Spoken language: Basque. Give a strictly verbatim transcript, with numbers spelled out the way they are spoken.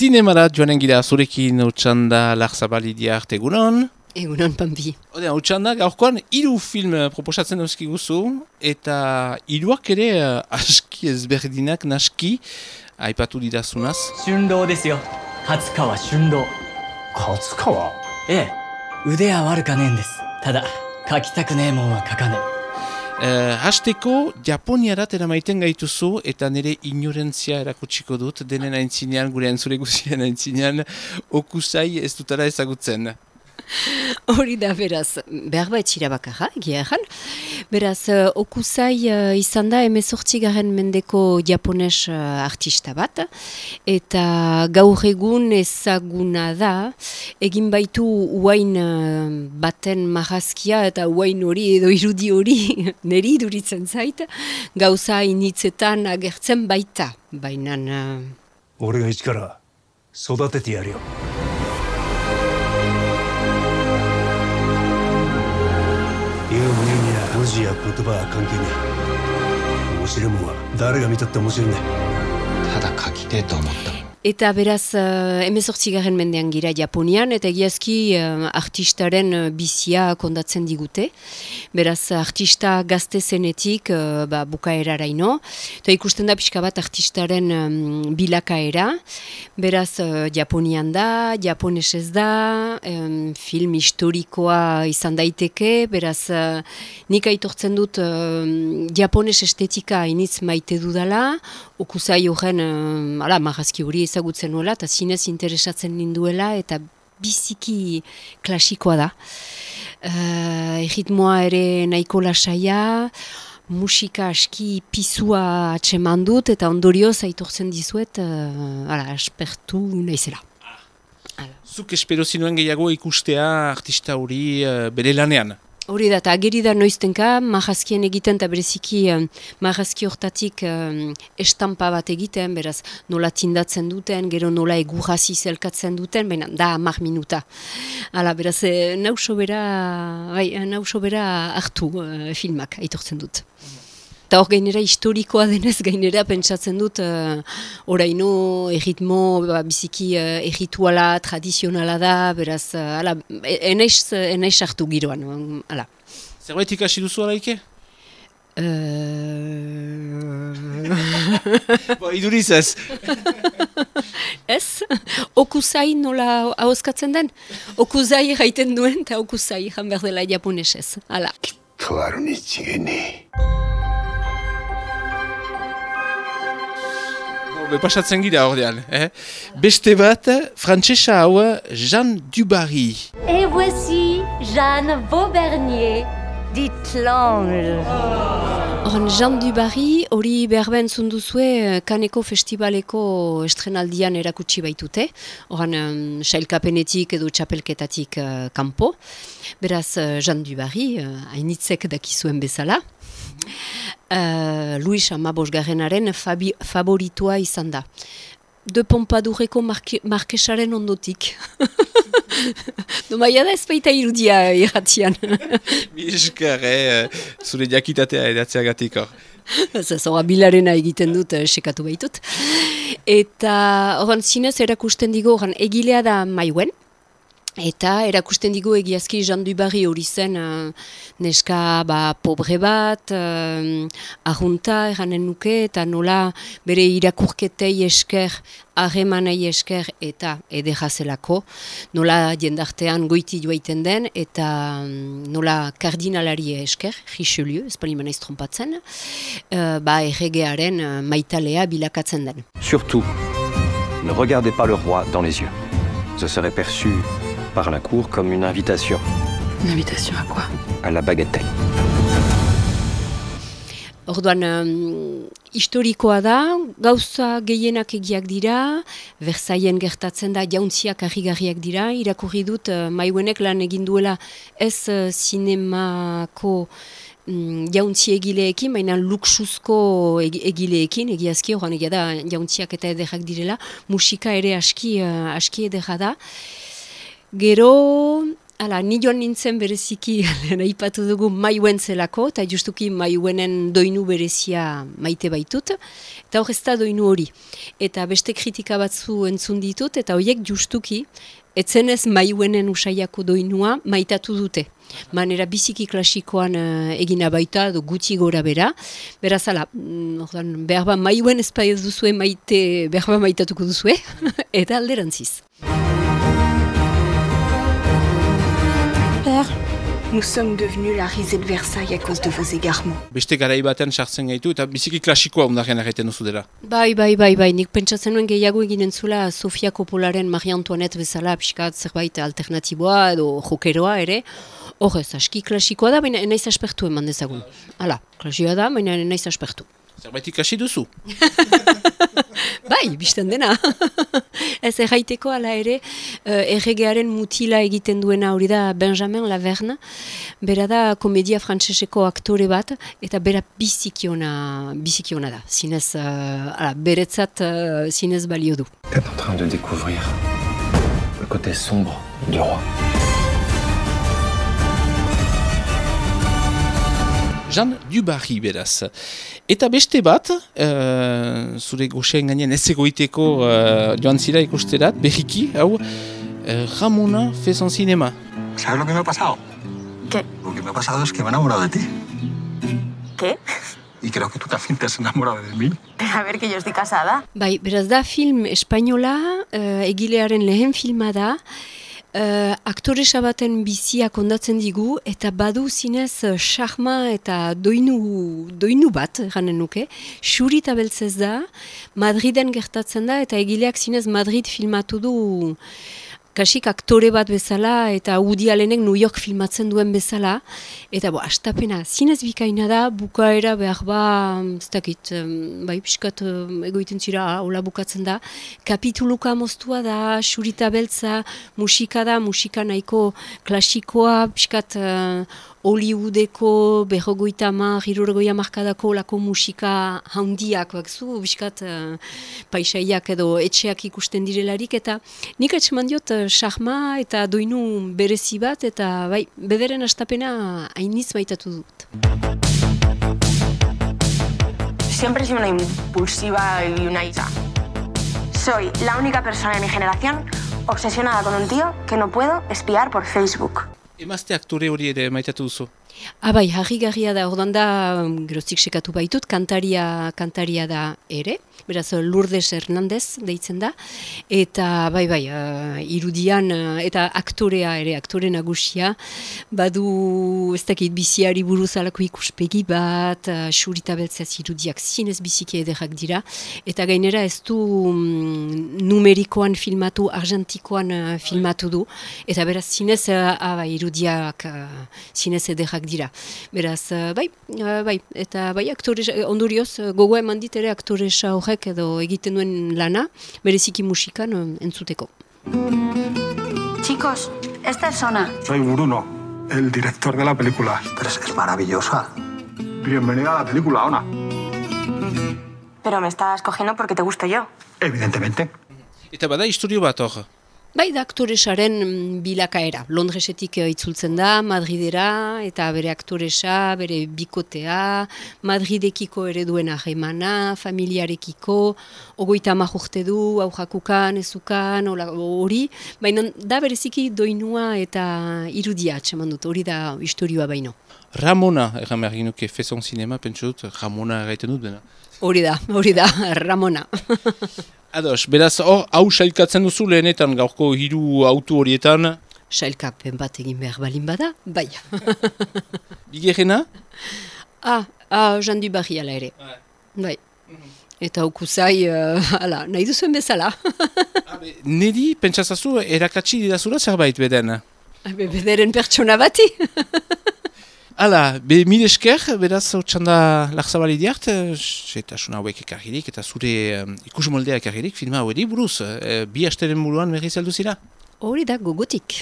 Zinemara joanen gira zurekin Otsanda Larzabalidia arte egunon. Egunon, Pampi. Odea, Otsanda, gaurkoan hiru film proposatzen dauzkiguzu, eta hiruak ere uh, aski ezberdinak naski aipatu didazunaz. Shundo desu yo. Katsukawa Shundo. Katsukawa? Eh, ude wa warukanen desu. Tada, kakitaku nee mon wa kakane. Uh, hasteko Japoniarat eramaiten gaituzu eta nire ignorantzia erakutsiko dut denen aintzinean, gure entzule guzien aintzinean, Okusai ez dutara ezagutzen. Hori da, beraz, behar baitxira bakarra, egia erran. Beraz, uh, Okusai uh, izan da emezortzigaren mendeko japones uh, artista bat, eta gaur egun ezaguna da, egin baitu uain uh, baten marrazkia eta uain hori edo irudi hori neri duritzen zait, gauza initzetan agertzen baita, bainan... Uh... 俺が一から育ててやるよ。言う分には文字や言葉は関係ねえ。面白いもんは誰が見たって面白いね。ただ書きてえと思った。 Eta beraz, uh, emezortzigarren mendean gira Japonian, eta egiazki uh, artistaren uh, bizia kondatzen digute. Beraz, artista gazte zenetik uh, ba, bukaeraraino. Eta ikusten da pixka bat artistaren um, bilakaera. Beraz, uh, Japonian da, japonesez da, um, film historikoa izan daiteke. Beraz, uh, nik aitortzen dut uh, japones estetika initz maite dudala. Okusai horren, uh, ala, marrazki hori ezagutzen nuela, eta zinez interesatzen ninduela, eta biziki klasikoa da. Uh, Erritmoa ere nahiko lasaia, musika aski pisua atseman dut, eta ondorioz aitortzen dizuet, uh, ala, aspertu naizela. Zuk espero zinuen gehiago ikustea artista hori uh, bere lanean? Hori da, eta ageri da noiztenka, marrazkien egiten, eta bereziki um, marrazki hortatik um, estampa bat egiten, beraz nola tindatzen duten, gero nola egurrazi zelkatzen duten, baina da hamar minuta. Hala, beraz, eh, nauso bera, bai, nauso bera hartu uh, filmak, aitortzen dut. Eta hor gainera historikoa denez, gainera pentsatzen dut, uh, oraino erritmo, ba, biziki uh, errituala, tradizionala da, beraz, uh, ala, enaiz, enaiz hartu giroan, ala. Zerbait ikasi duzu alaike? Uh... Bo, iduriz ez. Ez? Okusai nola ahoskatzen den? Okusai jaiten duen, eta okusai jan behar dela japonesez, ala. Kitaru ni txigene. Pasatzen gira ordean, eh? Beste bat, frantsesa hau Jeanne Dubarry. Et voici Jeanne Vaubernier, dit l'ange. Horan, Jeanne Dubarry hori behar zunduzue Kaneko festivaleko estrenaldian erakutsi baitute. Horan, um, sailkapenetik edo txapelketatik uh, kanpo. Beraz, uh, Jeanne Dubarry, uh, hainitzek dakizuen bezala. Uh, Luis Amabosgarrenaren favoritua izan da. De Pompadoureko marke, markesaren ondotik. Domaia da ez baita irudia irratian. Miskar, eh, zure jakitatea edatzeagatik hor. Zora bilarena egiten dut, eh, sekatu baitut. Eta horan zinez erakusten digo, horan egilea da Maiguen. Eta erakusten digu egiazki Jeanne Dubarry hori zen uh, neska ba, pobre bat, uh, arrunta eranen nuke, eta nola bere irakurketei esker, harremanei esker eta ederazelako, nola jendartean goiti joaiten den, eta um, nola kardinalari esker, Richelieu, ez pali manaiz trompatzen, uh, ba erregearen uh, maitalea bilakatzen den. Surtout, ne regardez pas le roi dans les yeux. Ce serait perçu par la cour comme une invitation. Une invitation à quoi? À la bagatelle. Orduan, um, historikoa da, gauza gehienak egiak dira, Versailles gertatzen da, jauntziak harrigarriak dira, irakurri dut uh, Maigüenek lan egin duela ez uh, zinemako mm, jauntzi egileekin, baina luxuzko egileekin, egiazki, horan egia da, jauntziak eta ederrak direla, musika ere aski, uh, aski ederra da. Gero, Hala, ni joan nintzen bereziki, aipatu dugu Maiuen zelako, eta justuki Maiuenen doinu berezia maite baitut, eta hor ez da doinu hori. Eta beste kritika batzu entzun ditut, eta horiek justuki, etzenez Maiuenen usaiako doinua maitatu dute. Manera biziki klasikoan uh, egina baita, do gutxi gora bera. Beraz, ala, mm, behar ba Maiuen ezpai ez duzue maite, behar ba maitatuko duzue, eta alderantziz. Père, nous sommes devenus la risée de Versailles à cause de vos égarements. Beste garai batean sartzen gaitu eta biziki klasikoa ondarrean erraiten duzu dela. Bai, bai, bai, bai, nik pentsatzen nuen gehiago eginen zula Sofia Coppolaren Marie Antoinette bezala pixkat zerbait alternatiboa edo jokeroa ere. Hor ez, aski klasikoa da, baina enaiz aspertu eman dezagun. Hala, klasikoa da, baina enaiz aspertu. Zerbait ikasi duzu? Bai, bizten dena. Ez erraiteko ala ere, uh, erregearen mutila egiten duena hori da Benjamin Laverne. Bera da komedia frantseseko aktore bat, eta bera bizikiona, bizikiona da. Zinez, uh, ala, beretzat uh, zinez balio du. T'es en train de découvrir le côté sombre du roi. Jean Dubarry beraz. Eta beste bat, uh, zure goxeen gainean ez egoiteko uh, joan zira ikusterat, berriki, hau, uh, Ramona fait son cinéma. ¿Sabes lo que me ha pasado? ¿Qué? Lo que me ha pasado es que me he enamorado de ti. ¿Qué? Y creo que tú también te has enamorado de mí. A ver, que yo estoy casada. Bai, beraz da film espainola, uh, egilearen lehen filma da, Uh, aktoresa baten bizia kondatzen digu, eta badu zinez charma eta doinu, doinu bat, eranen nuke, xuri eta beltzez da, Madriden gertatzen da, eta egileak zinez Madrid filmatu du, kasik aktore bat bezala, eta Woody Allenek New York filmatzen duen bezala, eta bo, astapena zinez bikaina da, bukaera behar ba, ez dakit, bai, piskat egoiten zira, hola bukatzen da, kapituluka moztua da, xurita beltza, musika da, musika nahiko klasikoa, piskat uh, Hollywoodeko, berrogoita mar, hirurgoia markadako lako musika handiak, bakzu, piskat uh, paisaiak edo etxeak ikusten direlarik, eta nik etxeman diot, charma eta doinu berezi bat, eta bai, bederen astapena hainiz maitatu dut. Siempre he sido una impulsiva y una hija. Soy la única persona en mi generación obsesionada con un tío que no puedo espiar por Facebook. Emazte aktore hori ere maitatu duzu? Ah, bai, harri-garria da, ordan da, geroztik sekatu baitut, kantaria, kantaria da ere, beraz Lourdes Hernandez deitzen da, eta bai, bai, uh, irudian, uh, eta aktorea ere, aktore nagusia, badu, ez dakit, biziari buruz alako ikuspegi bat, uh, xurita beltzaz irudiak zinez biziki ederrak dira, eta gainera ez du um, numerikoan filmatu, argentikoan uh, filmatu du, eta beraz zinez, uh, ah, bai, irudiak uh, zinez ederrak dira. Beraz, bai, bai, eta bai, aktore, ondorioz, gogoa eman dit ere aktoresa horrek edo egiten duen lana, bereziki musikan entzuteko. Chicos, esta es Sona. Soy Bruno, el director de la película. Pero es, es maravillosa. Bienvenida a la película, Ona. Pero me estás cogiendo porque te gusto yo. Evidentemente. Eta bada historio bat hor? Bai, da aktoresaren bilakaera. Londresetik itzultzen da, Madridera, eta bere aktoresa, bere bikotea, Madridekiko ere duen ahemana, familiarekiko, ogoita hamar urte du, aurrakukan, ezukan, hori, baina da bereziki doinua eta irudia atseman dut, hori da historioa baino. Ramona, erran behar ginuke, fait son cinéma, pentsu dut, Ramona erraiten dut bena. Hori da, hori da, Ramona. Ados, beraz, hor, hau sailkatzen duzu lehenetan gaurko hiru autu horietan? Sailkapen bat egin behar balin bada, bai. Bigerrena? Ah, ah, Jean Dubarry ala ere. Bai. Eta ukusai, uh, ala, nahi duzuen bezala. Neri, pentsazazu, erakatsi didazura zerbait beden? Bederen pertsona bati. Hala, be mil esker, beraz, txanda larzabali diart, eta suna hauek ekarririk, eta zure um, ikus moldea ekarririk, filma hori buruz, e, bi hasteren buruan berriz heldu zira? Hori da, gogotik.